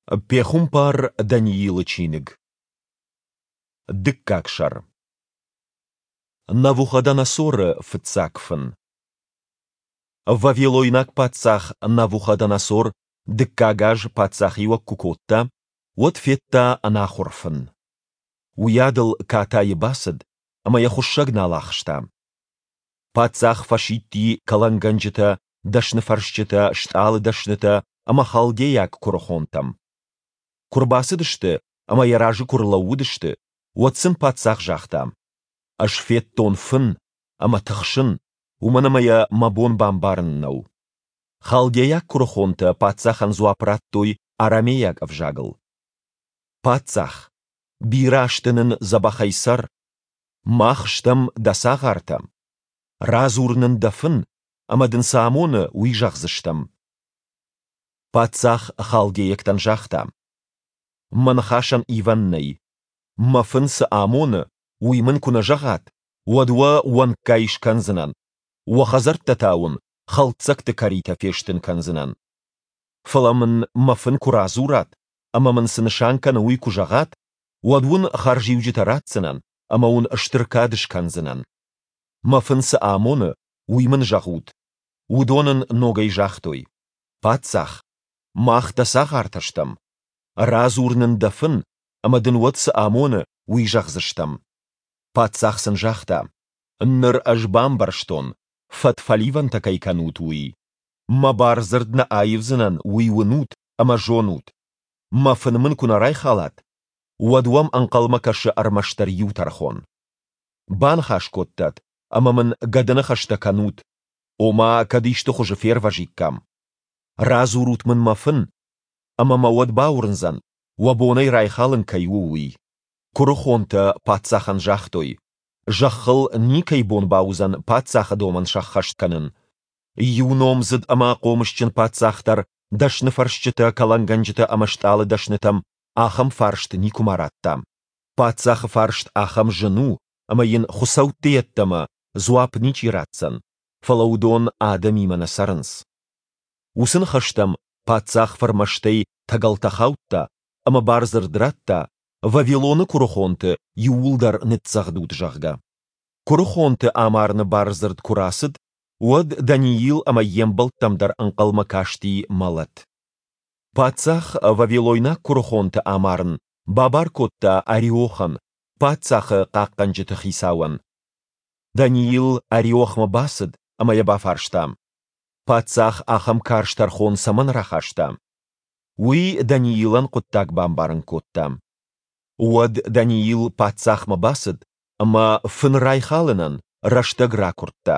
Пехуымпар Даниилы чиныг. Дыккаг сӕр. Навуходоносоры фыццаг фын. Вавилойнаг паддзах Навуходоносор дыккаг аз паддзахиуӕг куы кодта, уӕд федта ӕнахуыр фын. Уыйадыл катайы бацыд, ӕмӕ йӕ хуыссӕг нал ахста. Паддзах фӕсидти кӕлӕнгӕнджытӕ, дӕсныфӕрсджытӕ, стъалыдӕснытӕ ӕмӕ халдейаг куырыхонтӕм. Куы рбацыдысты ӕмӕ йӕ разы куы рлӕууыдысты, уӕд сын паддзах загъта: Ӕз федтон фын ӕмӕ тыхсын, уымӕн ӕмӕ йӕ мӕ бон бамбарын нӕу. Халдейаг куырыхонтӕ паддзахӕн дзуапп радтой арамейаг ӕвзагыл. Паддзах, бирӕ азты нын дзӕбӕхӕй цӕр! Мах стӕм дӕ цагъартӕ. Радзур нын дӕ фын, ӕмӕ дын цы амоны, уый зӕгъдзыстӕм. Паддзах халдейӕгтӕн загъта: Мӕ ныхасӕн ивӕн нӕй. Мӕ фын цы амоны, уый мын куы нӕ зӕгъат, уӕд уӕ уӕнггай скӕндзынӕн, уӕ хӕдзӕрттӕ та уын хӕлддзӕгты кӕритӕ фестын кӕндзынӕн. Фӕлӕ мын мӕ фын куы радзурат ӕмӕ мын цы нысан кӕны, уый куы зӕгъат, уӕд уын хӕрзиуджытӕ ратдзынӕн ӕмӕ уын стыр кад скӕндзынӕн. Мӕ фын цы амоны, уый мын зӕгъут. Уыдон ын ногӕй загътой: Паддзах, мах дӕ цагъартӕ стӕм. Радзур нын дӕ фын, ӕмӕ дын уӕд цы амоны, уый зӕгъдзыстӕм. Паддзах сын загъта: Ныр ӕз бамбӕрстон, фӕдфӕливӕнтӕ кӕй кӕнут, уый. Мӕ бардзырд нӕ аивдзынӕн, уый уынут ӕмӕ зонут. Мӕ фын мын куы нӕ райхалат, уӕд уӕм ӕнхъӕлмӕ кӕсы ӕрмӕстдӕр иу тӕрхон. Баныхас кодтат ӕмӕ мын гӕдыныхӕстӕ кӕнут, ома кӕд исты хуызы фервӕзиккам. Радзурут мын мӕ фын, ӕмӕ мӕ уӕд бауырндзӕн, уӕ бон ӕй райхалын кӕй у, уый. Куырыхонтӕ паддзахӕн загътой, зӕххыл никӕй бон бауыдзӕн паддзахы домӕн сӕххӕст кӕнын. Иу номдзыд ӕмӕ хъомысджын паддзах дӕр дӕсныфӕрсджытӕ, кӕлӕнгӕнджытӕ ӕмӕ стъалыдӕснытӕм ахӕм фарст никуыма радта. Паддзахы фарст ахӕм зын у, ӕмӕ йын хуыцӕутты йеддӕмӕ дзуапп ничи ратдзӕн, фӕлӕ уыдон адӕмимӕ нӕ цӕрынц. Уыцы ныхӕстӕм паддзах фырмӕстӕй тӕгӕлтӕ хаудта ӕмӕ бардзырд радта, Вавилоны куырыхонты иууылдӕр ныццӕгъдут, зӕгъгӕ. Куырыхонты амарыны бардзырд куы рацыд, уӕд Даниил ӕмӕ йе мбӕлттӕм дӕр ӕнхъӕлмӕ касти мӕлӕт. Паддзах вавилойнаг куырыхонты амарын бабар кодта Ариохӕн, паддзахы хъахъхъӕнджыты хицауӕн. Даниил Ариохмӕ бацыд ӕмӕ йӕ бафарста: Паддзах ахӕм карз тӕрхон цӕмӕн рахаста? Уый Даниилӕн хъуыддаг бамбарын кодта. Уӕд Даниил паддзахмӕ бацыд ӕмӕ фын райхалынӕн рӕстӕг ракуырдта.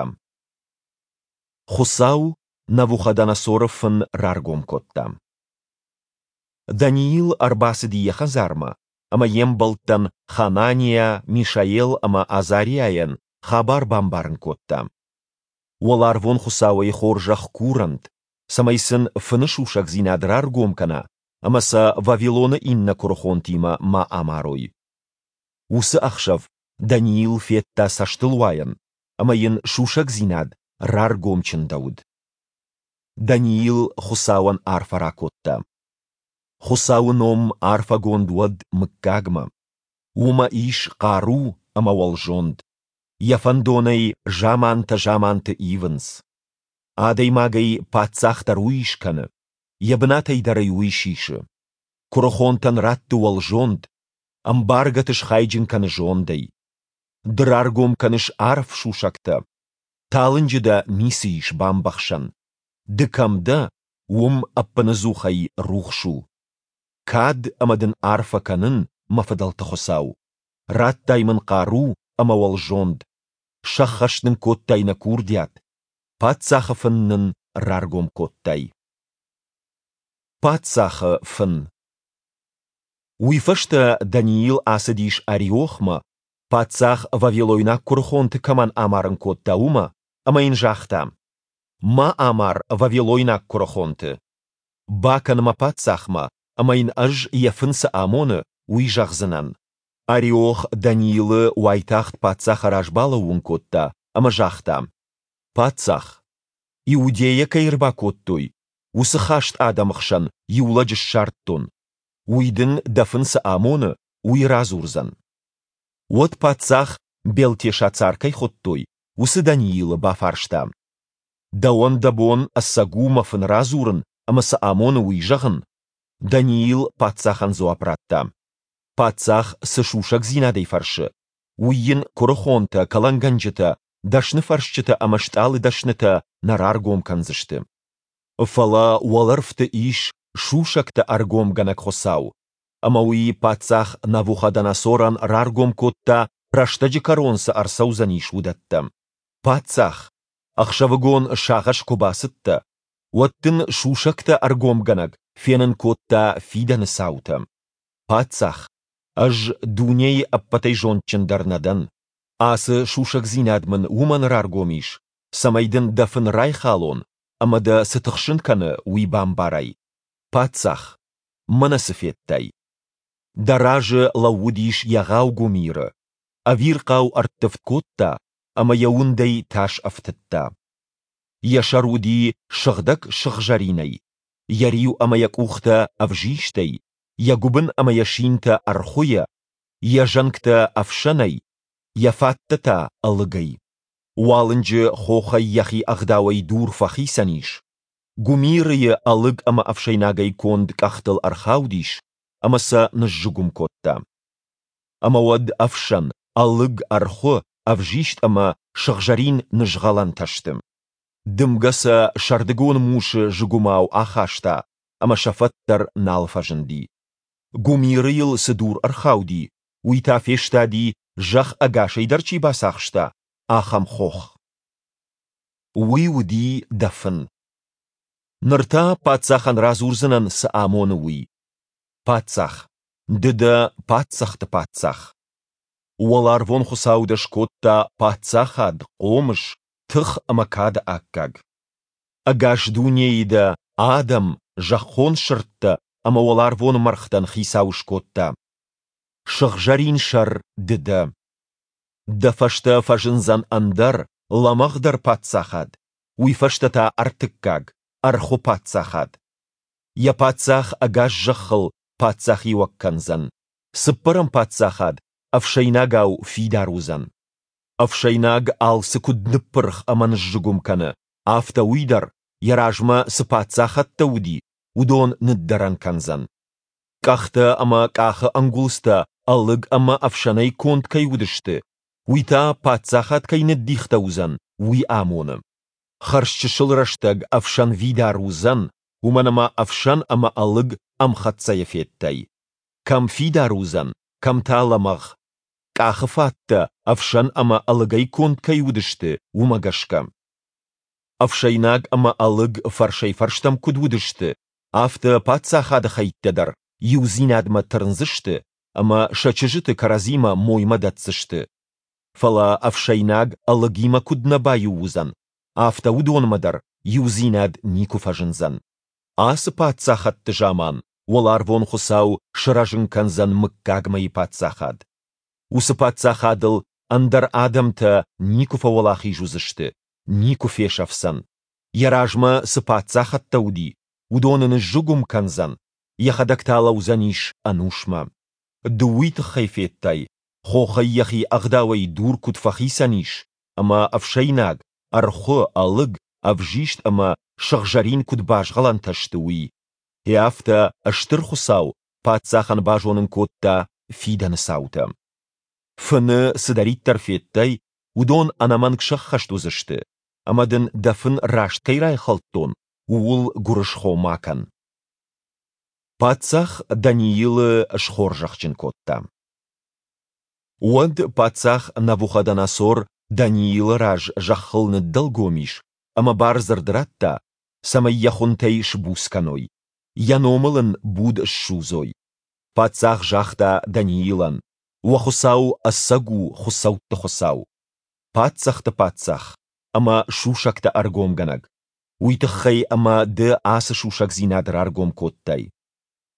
Хуыцау Навуходоносоры фын раргом кодта. Даниил ӕрбацыди йӕ хӕдзармӕ ӕмӕ йе мбӕлттӕн Хананиа, Мишаел ӕмӕ Азариайӕн хабар бамбарын кодта. Уӕларвон Хуыцауӕй хорзӕх курӕнт, цӕмӕй сын фыны сусӕгдзинад раргом кӕна ӕмӕ сӕ Вавилоны иннӕ куырыхонтимӕ ма амарой. Уыцы ӕхсӕв Даниил федта цӕстылуайӕн, ӕмӕ йын сусӕгдзинад раргом чындӕуыд. Даниил Хуыцауӕн арфӕ ракодта. Хуыцауы ном арфӕгонд уӕд мыггагмӕ. Уымӕ ис хъару ӕмӕ уӕлзонд. Йӕ фӕндонӕй замантӕ заманты ивынц. Адӕймагӕй паддзах дӕр уый скӕны, йӕ бынатӕй дӕр ӕй уый сисы. Куырыхонтӕн ратты уӕлзонд, ӕмбаргӕты схайджын кӕны зондӕй. Ды раргом кӕныс арф сусӕгтӕ. Талынджы дӕ ницы ис бамбӕхсӕн. Ды кӕм дӕ, уым ӕппынӕдзухӕй рухс у. Кад ӕмӕ дын арфӕ кӕнын, мӕ фыдӕлты Хуыцау. Радтай мын хъару ӕмӕ уӕлзонд. Сӕххӕст нын кодтай нӕ курдиат. Паддзахы фын нын раргом кодтай. Паддзахы фын. Уый фӕстӕ Даниил ацыдис Ариохмӕ, паддзах вавилойнаг куырыхонты кӕмӕн амарын кодта, уымӕ, ӕмӕ йын загъта: Ма амар вавилойнаг куырыхонты. Бакӕн мӕ паддзахмӕ, ӕмӕ йын ӕз, йӕ фын цы амоны, уый зӕгъдзынӕн. Ариох Даниилы уайтагъд паддзахы раз балӕууын кодта ӕмӕ загъта: Паддзах, Иудейӕ кӕй ӕрбакодтой, уыцы хаст адӕмы хсӕн иу лӕджы ссардтон. Уый дын, дӕ фын цы амоны, уый радзурдзӕн. Уӕд паддзах, Белтешацар кӕй хуыдтой, уыцы Даниилы бафарста, Дӕуӕн дӕ бон ӕцӕг у мӕ фын радзурын ӕмӕ цы амоны, уый зӕгъын? Даниил паддзахӕн дзуапп радта, Паддзах цы сусӕгдзинадӕй фӕрсы, уый йын куырыхонтӕ, кӕлӕнгӕнджытӕ, дӕсныфӕрсджытӕ ӕмӕ стъалыдӕснытӕ нӕ раргом кӕндзысты. Фӕлӕ уӕлӕрвты ис сусӕгтӕ ӕргомгӕнӕг Хуыцау, ӕмӕ уый паддзах Навуходоносорӕн раргом кодта, рӕстӕджы кӕрон цы ӕрцӕудзӕнис, уыдӕттӕ. Паддзах, ӕхсӕвыгон сагъӕс куы бацыдтӕ, уӕд дын сусӕгтӕ ӕргомгӕнӕг фенын кодта фидӕны цаутӕ. Паддзах, ӕз дунейы ӕппӕтӕй зондджындӕр нӕ дӕн. Ацы сусӕгдзинад мын уымӕн раргом ис, цӕмӕй дын дӕ фын райхалон ӕмӕ дӕ цы тыхсын кӕны, уый бамбарай. Паддзах, мӕнӕ цы федтай. Дӕ разы лӕууыдис егъау гуымиры, ӕвирхъау ӕрттывд кодта ӕмӕ йӕ уындӕй тас ӕфтыдта. Йӕ сӕр уыди сыгъдӕг сыгъзӕринӕй, йӕ риу ӕмӕ йӕ къухтӕ ӕвзистӕй, йӕ гуыбын ӕмӕ йӕ синтӕ ӕрхуыйӕ, йӕ зӕнгтӕ ӕфсӕнӕй, йӕ фӕттӕ та ӕлыгӕй. Уалынджы хохӕй йӕхи ӕгъдауӕй дур фӕхицӕн ис, гуымирыйы ӕлыг ӕмӕ ӕфсӕйнагӕй конд къӕхтыл ӕрхаудис ӕмӕ сӕ ныззыгуым кодта. Ӕмӕ уӕд ӕфсӕн, ӕлыг, ӕрхуы, ӕвзист ӕмӕ сыгъзӕрин нызгъӕлӕнтӕ сты. Дымгӕ сӕ сӕрдыгон мусы зыгуымау ахаста, ӕмӕ сӕ фӕд дӕр нал фӕзынди. Гуымирыйыл цы дур ӕрхауди, уый та фестади, зӕхх ӕгасӕй дӕр чи бацахста, ахӕм хох. Уый уыди дӕ фын. Ныр та паддзахӕн радзурдзынӕн, цы амоны, уый. Паддзах, ды дӕ паддзӕхты паддзах. Уӕларвон Хуыцау дӕ скодта паддзахад, хъомыс, тых ӕмӕ кады аккаг. Ӕгас дунейы дӕ адӕм, зӕххон сырдтӕ ӕмӕ уӕларвон мӕргътӕн хицау скодта. Сыгъзӕрин сӕр ды дӕ. Дӕ фӕстӕ фӕзындзӕн ӕндӕр, лӕмӕгъдӕр паддзахад, уый фӕстӕ та ӕртыккаг, ӕрхуы паддзахад. Йӕ паддзах ӕгас зӕххыл паддзахиуӕг кӕндзӕн. Цыппӕрӕм паддзахад ӕфсӕйнагау фидар уыдзӕн. Ӕфсӕйнаг алцы куыд ныппырх ӕмӕ ныззыгуым кӕны, афтӕ уый дӕр, йӕ размӕ цы паддзахӕдтӕ уыди, уыдон ныддӕрӕн кӕндзӕн. Къӕхтӕ ӕмӕ къахы ӕнгуылдзтӕ ӕлыг ӕмӕ ӕфсӕнӕй конд кӕй уыдысты, уый та паддзахад кӕй ныддихтӕ уыдзӕн, уый амоны. Хӕрзчысыл рӕстӕг ӕфсӕнвидар уыдзӕн, уымӕн ӕмӕ ӕфсӕн ӕмӕ ӕлыг ӕмхӕццӕйӕ федтай. Кӕм фидар уыдзӕн, кӕм та лӕмӕгъ. Къахы фӕдтӕ ӕфсӕн ӕмӕ ӕлыгӕй конд кӕй уыдысты, уымӕ гӕсгӕ. Ӕфсӕйнаг ӕмӕ ӕлыг фӕрсӕй-фӕрстӕм куыд уыдысты, афтӕ паддзахады хӕйттӕ дӕр иудзинадмӕ тырндзысты ӕмӕ сӕ чызджыты кӕрӕдзимӕ моймӕ дӕтдзысты. Фӕлӕ ӕфсӕйнаг ӕлыгимӕ куыд нӕ баиу уыдзӕн, афтӕ уыдонмӕ дӕр иудзинад никуы фӕзындзӕн. Ацы паддзахӕдты заман уӕларвон Хуыцау сырӕзын кӕндзӕн мыггагмӕйы паддзахад. Уыцы паддзахадыл ӕндӕр адӕмтӕ никуы фӕуӕлахиз уыдзысты, никуы фесӕфдзӕн. Йӕ размӕ цы паддзахӕдтӕ уыди, уыдоны ныззыгуым кӕндзӕн, йӕхӕдӕг та лӕудзӕнис ӕнусмӕ. Ды уый тыххӕй федтай, хохӕй йӕхи ӕгъдауӕй дур куыд фӕхицӕн ис, ӕмӕ ӕфсӕйнаг, ӕрхуы, ӕлыг, ӕвзист ӕмӕ сыгъзӕрин куыд базгъӕлӕнтӕ сты, уый. Гъе афтӕ Стыр Хуыцау паддзахӕн базонын кодта фидӕны цаутӕ. Фыны цыдӕриддӕр федтай, уыдон ӕнӕмӕнг сӕххӕст уыдзысты, ӕмӕ дын дӕ фын раст кӕй райхӕлдтон, ууыл гуырысхо ма кӕн. Паддзах Даниилы схорзӕхджын кодта. Уӕд паддзах Навуходоносор Даниилы раз зӕххыл ныддӕлгом ис ӕмӕ бардзырд радта, цӕмӕй йӕ хуынтӕй сбуц кӕной, йӕ номыл ын буд ссудзой. Паддзах загъта Даниилӕн, Уӕ Хуыцау ӕцӕг у хуыцӕутты Хуыцау, паддзӕхты паддзах ӕмӕ сусӕгтӕ ӕргомгӕнӕг, уый тыххӕй ӕмӕ ды ацы сусӕгдзинад раргом кодтай.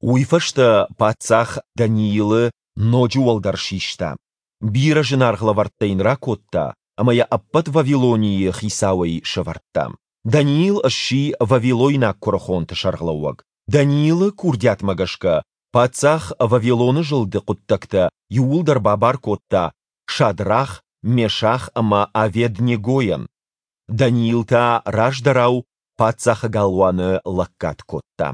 Уый фӕстӕ паддзах Даниилы ноджы уӕлдӕр систа, бирӕ зынаргъ лӕвӕрттӕ йын ракодта ӕмӕ йӕ ӕппӕт Вавилонийы хицауӕй сӕвӕрдта. Даниил сси вавилойнаг куырыхонты сӕргълӕууӕг. Даниилы курдиатмӕ гӕсгӕ. Паддзах Вавилоны зылды хъуыддӕгтӕ иууылдӕр бабар кодта Шадрах, Мешах ӕмӕ Авед-Негойӕн, Даниил та раздӕрау паддзахы галуаны лӕггад кодта.